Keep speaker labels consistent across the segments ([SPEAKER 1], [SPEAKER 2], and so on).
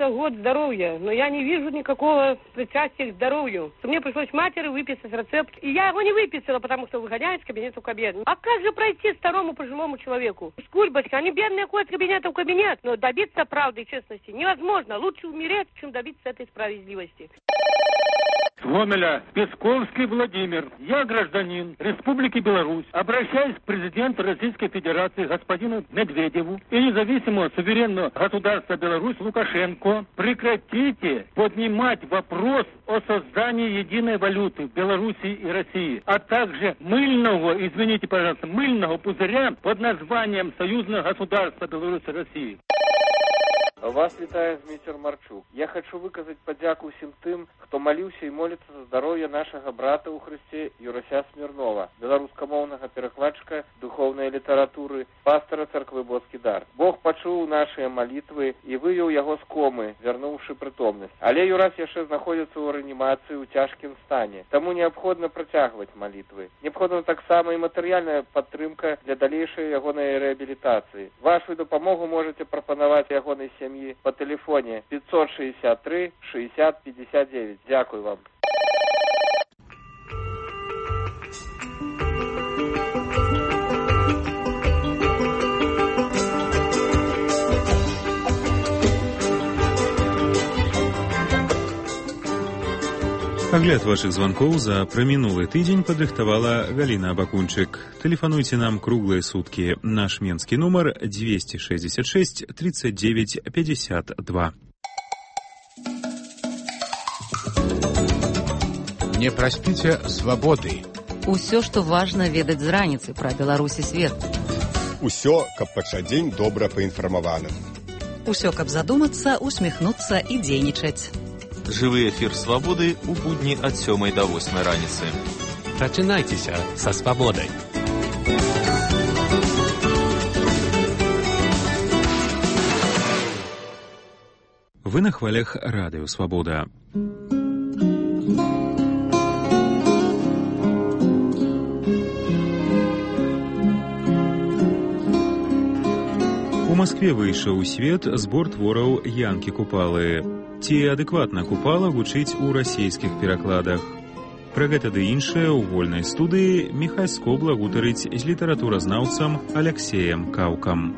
[SPEAKER 1] полагается год здоровья, но я не вижу никакого причастия к здоровью. Мне пришлось матери выписать рецепт, и я его не выписала, потому что выгоняют с кабинета в кабинет. А как же пройти старому пожилому человеку? Скульбочка, они бедные ходят с кабинета в кабинет, но добиться правды и честности невозможно. Лучше умереть, чем добиться этой справедливости.
[SPEAKER 2] С Гомеля. Песковский Владимир. Я гражданин Республики Беларусь. Обращаюсь к президенту Российской Федерации господину Медведеву и независимого суверенного государства Беларусь Лукашенко. Прекратите поднимать вопрос о создании единой валюты в Беларуси и России, а также мыльного пузыря под названием Союзное государство Беларуси и России.
[SPEAKER 3] Вас вітае Зміцер Марчук. Я хочу выказаць падзяку ўсім тым, хто маліўся і моліцца за здароўе нашага брата ў Хрысце Юрася Смірнова, беларускамоўнага перакладчыка духоўнай літаратуры, пастора царквы Боцкі дар. Бог пачуў нашыя малітвы і вывеў яго з комы, вярнуўшы прытомнасць. Але Юрас яшчэ знаходзіцца ў рэанімацыі ў цяжкім стане. Таму неабходна працягваць малітвы. Неабходна таксама і матэрыяльная падтрымка для далейшай ягонай рэабілітацыі. Вашу дапамогу можаце прапанаваць ягонай сям'і по телефоне 563 60 59. Дякую вам.
[SPEAKER 4] Агляд вашых звонков за проминулый тыдзень падрыхтавала Галина Абакунчык. Телефонуйте нам круглые сутки. Наш менский номер 266 39 52.
[SPEAKER 5] Не проспите свободы.
[SPEAKER 6] Усё, што важна ведаць з раніцы пра Беларусь і свет.
[SPEAKER 7] Усё, каб пачаць дзень добра паінфармаваным.
[SPEAKER 6] Усё, каб задумацца, усміхнуцца і дзейнічаць.
[SPEAKER 8] Жывы эфір «Свабоды» у будні ад 7 до 8 раніцы.
[SPEAKER 5] Прачынайцеся са свабодай.
[SPEAKER 4] Вы на хвалях радыё «Свабода». У Маскве выйшаў у свет збор твораў Янкі Купалы. Ці адэкватна Купала гучыць у расійскіх перакладах. Пра гэта ды іншае ў вольнай студыі Міхай Скобла гутарыць з літаратуразнаўцам Аляксеем Каўкам.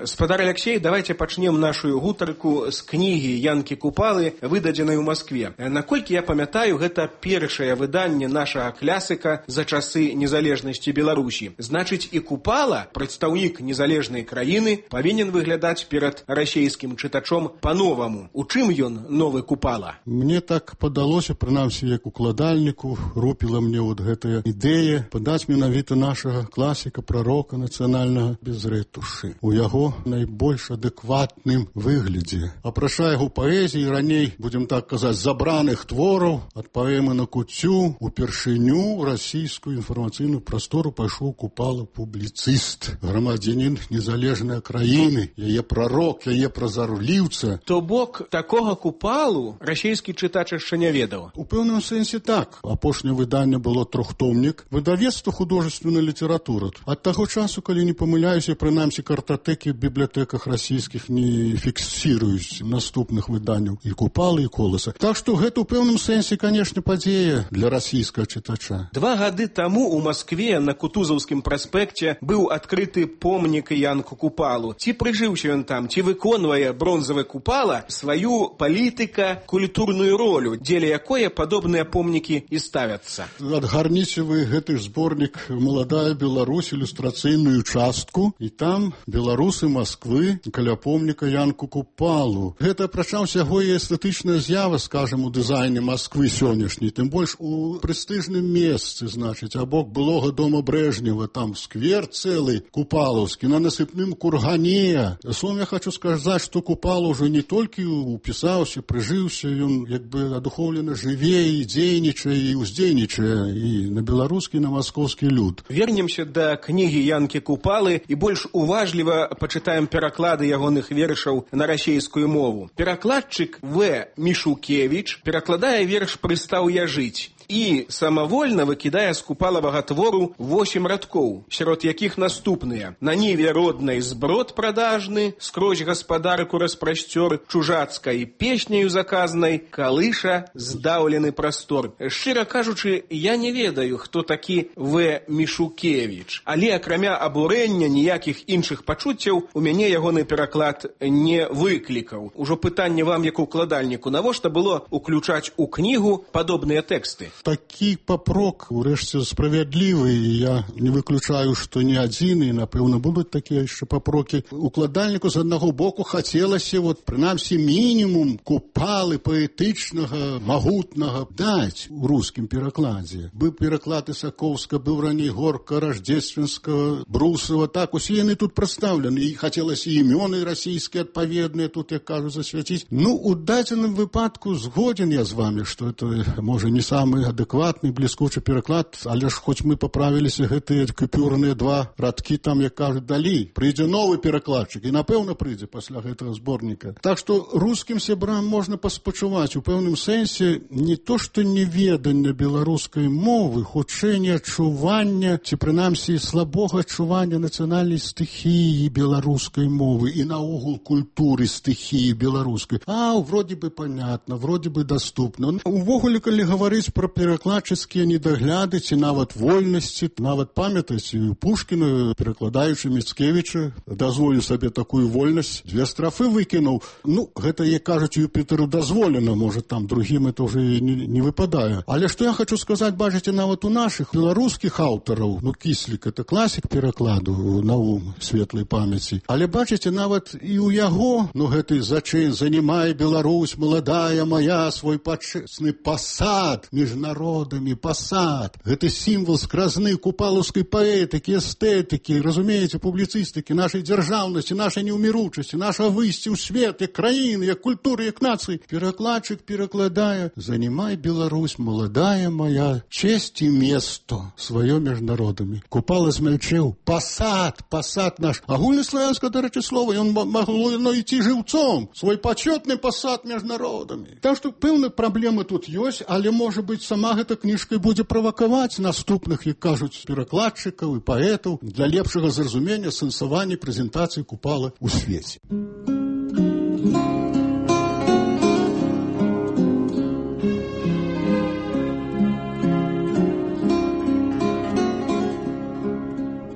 [SPEAKER 9] Спадар Алексей, давайте пачнем нашу гутарку з кнігі Янкі Купалы, выдадзенай у Маскве. Наколькі я памятаю, гэта першае выданне нашага клясыка за часы незалежнасці Беларусі. Значыць, і Купала, прадстаўнік незалежнай краіны, павінен выглядаць перад расійскім чытачом па-новаму. У чым ён новы Купала?
[SPEAKER 10] Мне так падалося, прынамсі, як укладальніку, рупіла мне вот гэтая ідэя падаць менавіта нашага класіка, прарока нацыянальнага без рэтушы. У яго найбольш адэкватным выглядзе. Апрача яго паэзіі, раней, будзем так казаць, забраных твораў, ад паэмы на куццю, упершыню расійскую інфармацыйную прастору пайшоў Купала публіцыст, грамадзянін незалежнай краіны, яе прарок, яе празарліўца.
[SPEAKER 9] То бок, такога Купалу расійскі чытач яшчэ не ведаў?
[SPEAKER 10] У пэўным сэнсе так. Апошняе выданне было трохтомнік. Выдавецтва художественная літаратура. Ад таго часу, калі не памыляюся, прынамсі картатэкі в бібліятэках расійскіх не фіксіруюць наступных выданняў і Купалы, і Коласа. Так што гэта ў пэўным сэнсе, канешне, падзея для расійскага чытача.
[SPEAKER 9] 2 гады таму ў Маскве на Кутузаўскім праспекце быў адкрыты помнік Янку Купалу. Ці прыжыўся ён там, ці выконвае бронзавы Купала сваю палітыка-культурную ролю, дзеля якое падобныя помнікі і ставяцца.
[SPEAKER 10] Адгарніце вы гэты зборнік «Маладая Беларусь», ілюстрацыйную частку, і там беларусы Масквы каля помніка Янку Купалу. Гэта апрача ўсяго і эстэтычная з'ява, скажам, у дызайне Масквы сённяшняй, тым больш у прэстыжным месцы, значыць, абок былога дома Брэжнева, там сквер цэлы купалаўскі, на насыпным кургане. Словом, я хочу сказаць, што Купала ўжо не толькі упісаўся, прыжыўся, ён як бы адухоўлена жыве і дзейнічае, і ўздзейнічае і на беларускі, і на маскоўскі люд.
[SPEAKER 9] Вернемся да кнігі Янкі Купалы і больш уважліва пачытаем пераклады ягоных вершаў на расійскую мову. Перакладчык В. Мішукевіч перакладае верш «Прыстаў я жыць». і самавольна выкідае з купалавага твору 8 радкоў, сярод якіх наступныя: «На ніве роднай зброд прадажны, скрозь гаспадарку распрасцёр, чужацкай песняю заказнай, калыша здаўлены прастор». Шчыра кажучы, я не ведаю, хто такі В. Мішукевіч, але акрамя абурэння ніякіх іншых пачуццяў у мяне ягоны пераклад не выклікаў. Ужо пытанне вам, як укладальніку, навошта было уключаць у кнігу падобныя тэксты?
[SPEAKER 10] Такі папрок, урэшце, справядлівы, і я не выключаю, што не адзін, і, напэўна, будуць такія яшчэ папрокі. Укладальніку з аднаго боку хацелася, прынамсі, мінімум Купалы паэтычнага, магутнага даць у рускім перакладзе. Быў пераклад Ісакоўска, быў раней Горка, Раждзественскага, Брусова, так, усе яны тут прадстаўлены, і хацелася імёны расійскія адпаведныя тут, як кажуць, засвяціць. У дадзеным выпадку згоден я з вами, што это, можа, не самы адэкватны, бліскучы пераклад, але ж хоць мы паправіліся гэтыя купюрныя 2 радкі там, як кажуць, далі. Прыйдзе новы перакладчык, і, напэўна, прыйдзе пасля гэтага зборніка. Так што рускім сябрам можна паспачуваць у пэўным сэнсе не то, што неведанне беларускай мовы, хутчэй не адчування, ці прынамсі слабога адчування нацыянальнай стыхіі беларускай мовы і наогул культуры стыхіі беларускай. Вроде бы понятно, вроде бы доступно. Увогуле, калі гаварыць пра перакладчыцкія недагляды ці нават вольнасці, нават памятаеце, Пушкіна, перакладаючы Міцкевіча, дазволіў сабе такую вольнасць, 2 страфы выкінуў. Гэта, як кажуць, Юпітеру дазволена, можа, там другім это уже не выпадае. Але што я хочу сказаць, бачыце, нават у нашых беларускіх аўтараў, Кіслік, это класік перакладу, Наум светлай памяці. Але бачыце, нават і ў яго, гэты зачын «Занимай Беларусь, молодая моя, свой пачесны пасад між народамі, пасад». Гэта сімвал скразны купалаўскай паэтыкі, эстэтыкі, разумееце, публіцыстыкі, нашай дзяржаўнасці, нашай неўміручасці, нашага выйсця ў свет, як краіны, як культуры, як нацыі. Перакладчык перакладае «Занимай Беларусь, молодая моя, честь и место сваё між народамі». Купала змялчэў пасад, пасад наш. Агульнаславянскае, дарэчы, слова, ён магло ісці жыўцом, свой пачётны пасад між народамі. Так што пэўна праблемы тут ёсць, але, можа быць, сама гэта кніжка будзе правакаваць наступных, як кажуць, перакладчыкаў і паэтаў для лепшага зразумення сэнсавання прэзентацыі Купала ў свеце.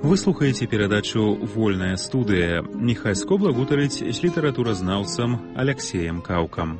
[SPEAKER 4] Вы слухаеце перадачу «Вольная студыя». Міхай Скобла гутарыць з літаратуразнаўцам Аляксеем Каўкам.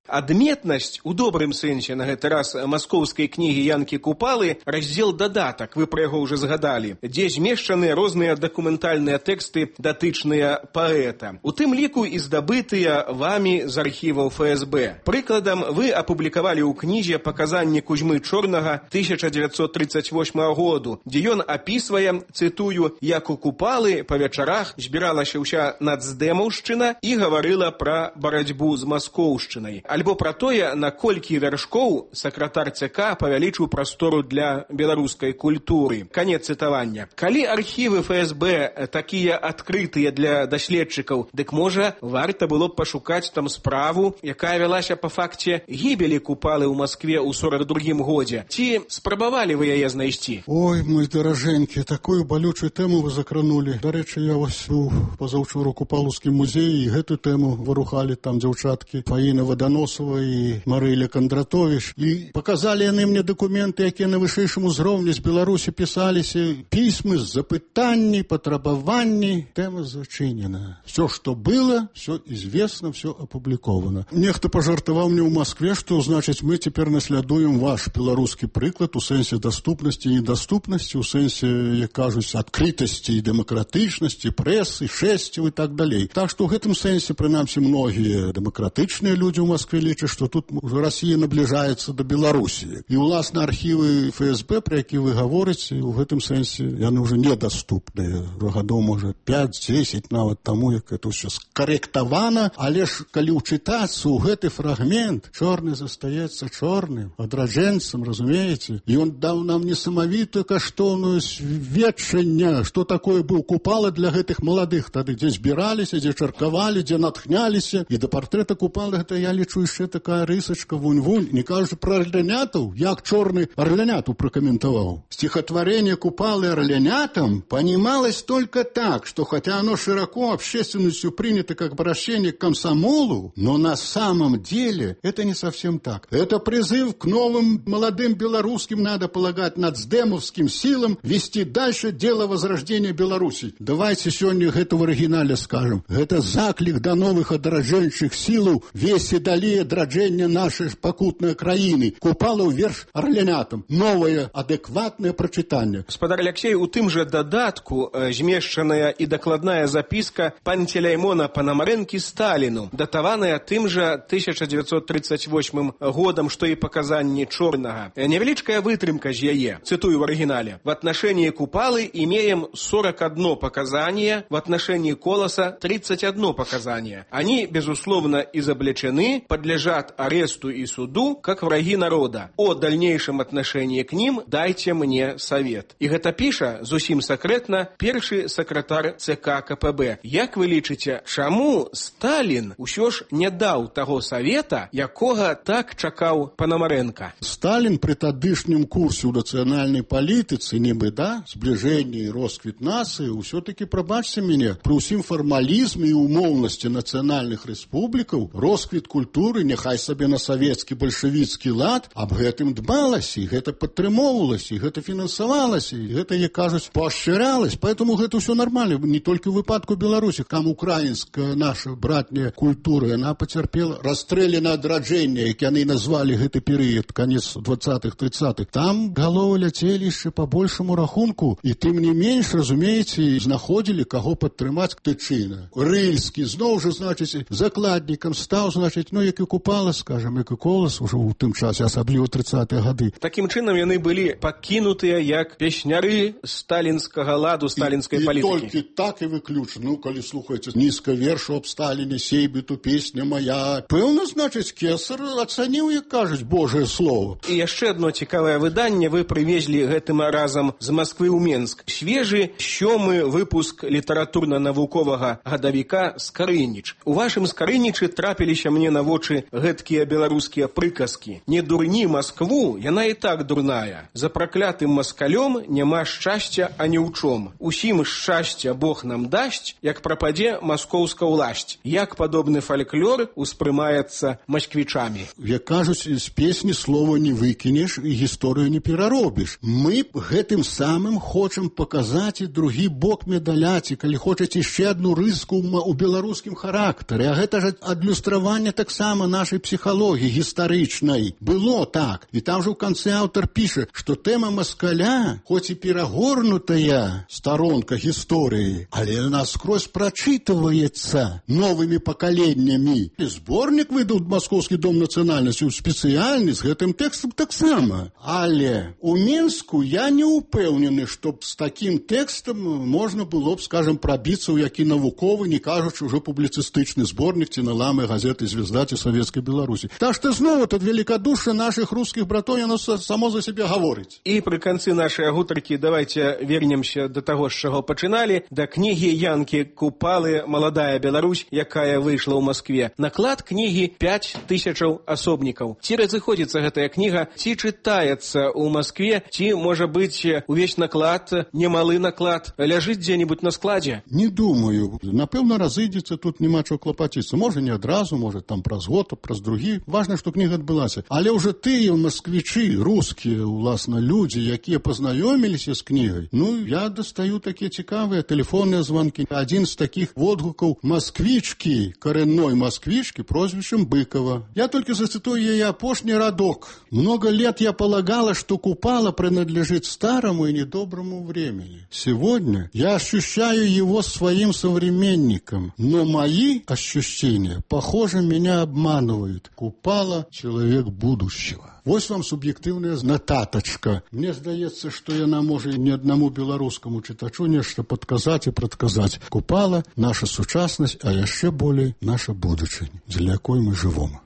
[SPEAKER 9] Адметнасць, у добрым сэнсе на гэты раз, маскоўскай кнігі Янкі Купалы, раздзел «Дадатак», вы пра яго ўжо згадалі, дзе змешчаныя розныя дакументальныя тэксты, датычныя паэта. У тым ліку і здабытыя вамі з архіваў ФСБ. Прыкладам, вы апублікавалі ў кнізе паказанні Кузьмы Чорнага 1938 году, дзе ён апісвае, цытую, як у Купалы па вечарах збіралася ўся нацдэмаўшчына і гаварыла пра барацьбу з маскоўшчынай. Альбо пра тое, наколькі вяршкоў сакратар ЦК павялічыў прастору для беларускай культуры. Канец цытавання. Калі архівы ФСБ такія адкрытыя для даследчыкаў, дык можа варта было б пашукаць там справу, якая вялася па факце гібелі Купалы ў Маскве ў 42-м годзе. Ці спрабавалі вы яе знайсці?
[SPEAKER 10] Ой, мой даражэнькі, такую балючую тэму вы закранулі. Дарэчы, я вось быў пазаўчора ў Купалаўскім музеі, і гэту тэму варухалі там дзяўчаткі Фаіна Ваданосова і Марыля Кандратовіч. І паказалі яны мне дакументы, якія на вышэйшым узроўні з Беларусі пісаліся, пісьмы з запытанні, патрабаванні. Тэма зачынена. Все, што было, все известно, все апубліковано. Нехта пажартаваў мне ў Маскве, што, значыць, мы цяпер наслядуем ваш беларускі прыклад у сэнсе даступнасці і недаступнасці, у сэнсе, як кажуць, адкрытасці і дэмакратычнасці, прэсы, шэсцяў і так далей. Так што ў гэтым сэнсе, прынамсі, многія дэмакратычныя людзі ў Маскве лічаць, што тут уже Расія набліжаецца да Беларусі. І, уласна, архівы ФСБ, пра які вы гаворыце, у гэтым сэнсе яны ўжо недаступныя. Гадоў, можа, 5-10 нават таму, як это ўсё скарэктавана, але ж, калі ўчытацца ў гэты фрагмент, чорны застаецца чорным, адраджэнцам, разумееце? І ён даў нам несамавітую каштоўную сведчанне, што такое быў Купала для гэтых маладых тады, дзе збіраліся, дзе чаркавалі, дзе натхняліся. І да партрэта Купалы гэта, я лічу, яшчэ такая рысачка вунь-вунь, не кажучы пра арлянятаў, як чорны арляняту прокомментовал. Стихотворение Купалы орлянятам понималось только так, что хотя оно широко общественностью принято как обращение к комсомолу, но на самом деле это не совсем так. Это призыв к новым молодым белорусским, надо полагать, нацдемовским силам вести дальше дело возрождения Беларуси. Давайте сегодня это в оригинале скажем. Это заклик до новых одражающих сил весе далее драджения нашей покутной краины. Купала верш орлянятам. Новое адекватное прочитание.
[SPEAKER 9] Спадар Алексей, у тым же додатку змешчаная и докладная записка Пантелеймона Пономаренки Сталину, датаваная тым же 1938 годом, что и показания Чорнага. Невеличкая вытрымка з яе, цитую в оригинале. В отношении Купалы имеем 41 показание, в отношении Колоса 31 показание. Они, безусловно, изобличены, подлежат аресту и суду, как враги народа. О дальнейшем отношении к ним дайте мне совет. И гэта піша, зусім сакрэтна, першы сакратар ЦК КПБ. Як вы лічыце, чаму Сталин усё ж не даў таго совета, якога так чакаў Пономаренко?
[SPEAKER 10] Сталин при тадышнім курсе ў нацыянальнай палітыцы, нібы, да, зближэнне і росквіт нацыі, ўсё-таки, прабачце мяне, при ўсім фармалізме і умоўнасці нацыянальных рэспублікаў, росквіт культуры, няхай сабе на савецкі бальшавіцкі лад, аб гэтым дбалася, і гэта падтрымоўвалася, і гэта фінансавалася, і гэта, як кажуць, поощрялось. Поэтому гэта ўсё нормально. Не только в выпадку Беларуси, там украинская наша братняя культура, она потерпела расстрелянное адраджэнне, як яны назвали гэты перыяд, конец 20-х, 30-х. Там головы ляцелі яшчэ по большему рахунку, і тым не менш, разумееце, знаходзілі каго падтрымаць тычына. Рыльскі зноў жа, значыць, закладнікам стаў, значыць, ну, як і Купала, скажем, як і Колас ужо ў тым часе, асабліва 30-е гады.
[SPEAKER 9] Такім чынам яны былі пакінутыя як песняры сталінскага ладу, сталінскай палітыкі.
[SPEAKER 10] І толькі так і выключна. Ну, калі слухаеце нізка вершу аб Сталіне, сейбіту, песня моя. Пэўна, значыць, Кесар ацаніў, як кажуць, Божае слово.
[SPEAKER 9] І яшчэ одно цікавае выданне вы прывезлі гэтым разам з Масквы ў Менск. Свежы 7-й выпуск літаратурна-навуковага гадавіка «Скарыніч». У вашым «Скарынічы» трапіліся мне на вочы гэткія беларускія прыказкі. Не дурні Маскву, яна і так дурная. За праклятым маскалём няма шчасця ані ў чом. Усім шчасця Бог нам дасць, як прападзе маскоўска ўласць. Як падобны фальклор успрымаецца масквічамі.
[SPEAKER 10] Як кажуць, з песні слова не выкінеш і гісторыю не пераробіш. Мы гэтым самым хочам паказаць і другі бок медаляці, калі хочаце яшчэ адну рыску ў беларускім характары. А гэта ж адлюстраванне таксама нашай псіхалогіі гістарычнай. Было так. І там же ў канцы аўтар піша, што тэма маскаля, хоць і перагорнутая старонка гісторыі, але наскрозь прачытваецца новымі пакаленнямі. Зборнік выдаў Маскоўскі дом нацыянальнасці спецыяльны з гэтым тэкстам таксама. Але у Менску я не ўпэўнены, што з такім тэкстам можна было б, скажем, прабіцца ў які навуковы, не кажучы ўжо публіцыстычны зборнік ці наламы газеты «Звезда» ці Савецкай Беларусі. Так што зноў тут великодушие наших русских братоў, яно само за себе гаворыць.
[SPEAKER 9] І пры канцы нашай гутаркі давайте вернемся до таго, з чаго пачыналі, да кнігі Янкі Купалы «Маладая Беларусь», якая выйшла ў Маскве. Наклад кнігі 5000 асобнікаў. Ці разыходзіцца гэтая кніга, ці чытаецца ў Маскве, ці, можа быць, увесь наклад, немалы наклад, ляжыць дзе-нибудь на складзе?
[SPEAKER 10] Не думаю. Напэўна, разыдзецца, тут няма чаго клапаціцца. Можа, не адразу, можа, там праз год, праз другі. Важна, што кніга адбылася. Але ўжо тыя масквічы, рускія, уласна, людзі, якія пазнаёміліся з кнігай, ну, я дастаю такія цікавыя тэлефонныя званкі. Адзін з такіх водгукаў масквічкі, карэнной масквічкі, прозвішчам Быкова. Я только зацитую яе апошні радок. Много лет я полагала, что Купала принадлежит старому и недоброму времени. Сегодня я ощущаю его своим современником, но мои ощущения, похоже, меня обманывают. Купала — человек будущего. Вось вам суб'ектыўная нататачка. Мне здаецца, што яна можа не аднаму беларускаму чытачу нешта падказаць і прадказаць. Купала — наша сучаснасць, а яшчэ болей наша будучынь, для якой мы жывом.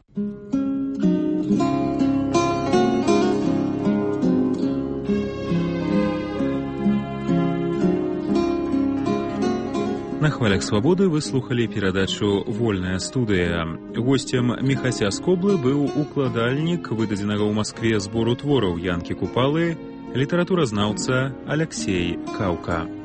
[SPEAKER 4] На хвалях свабоды вы слухали перадачу «Вольная студыя». Гостем Міхася з Коблы быў укладальнік выдадзенага ў Маскве збору твораў Янкі Купалы, літаратуразнаўца Аляксей Каўка.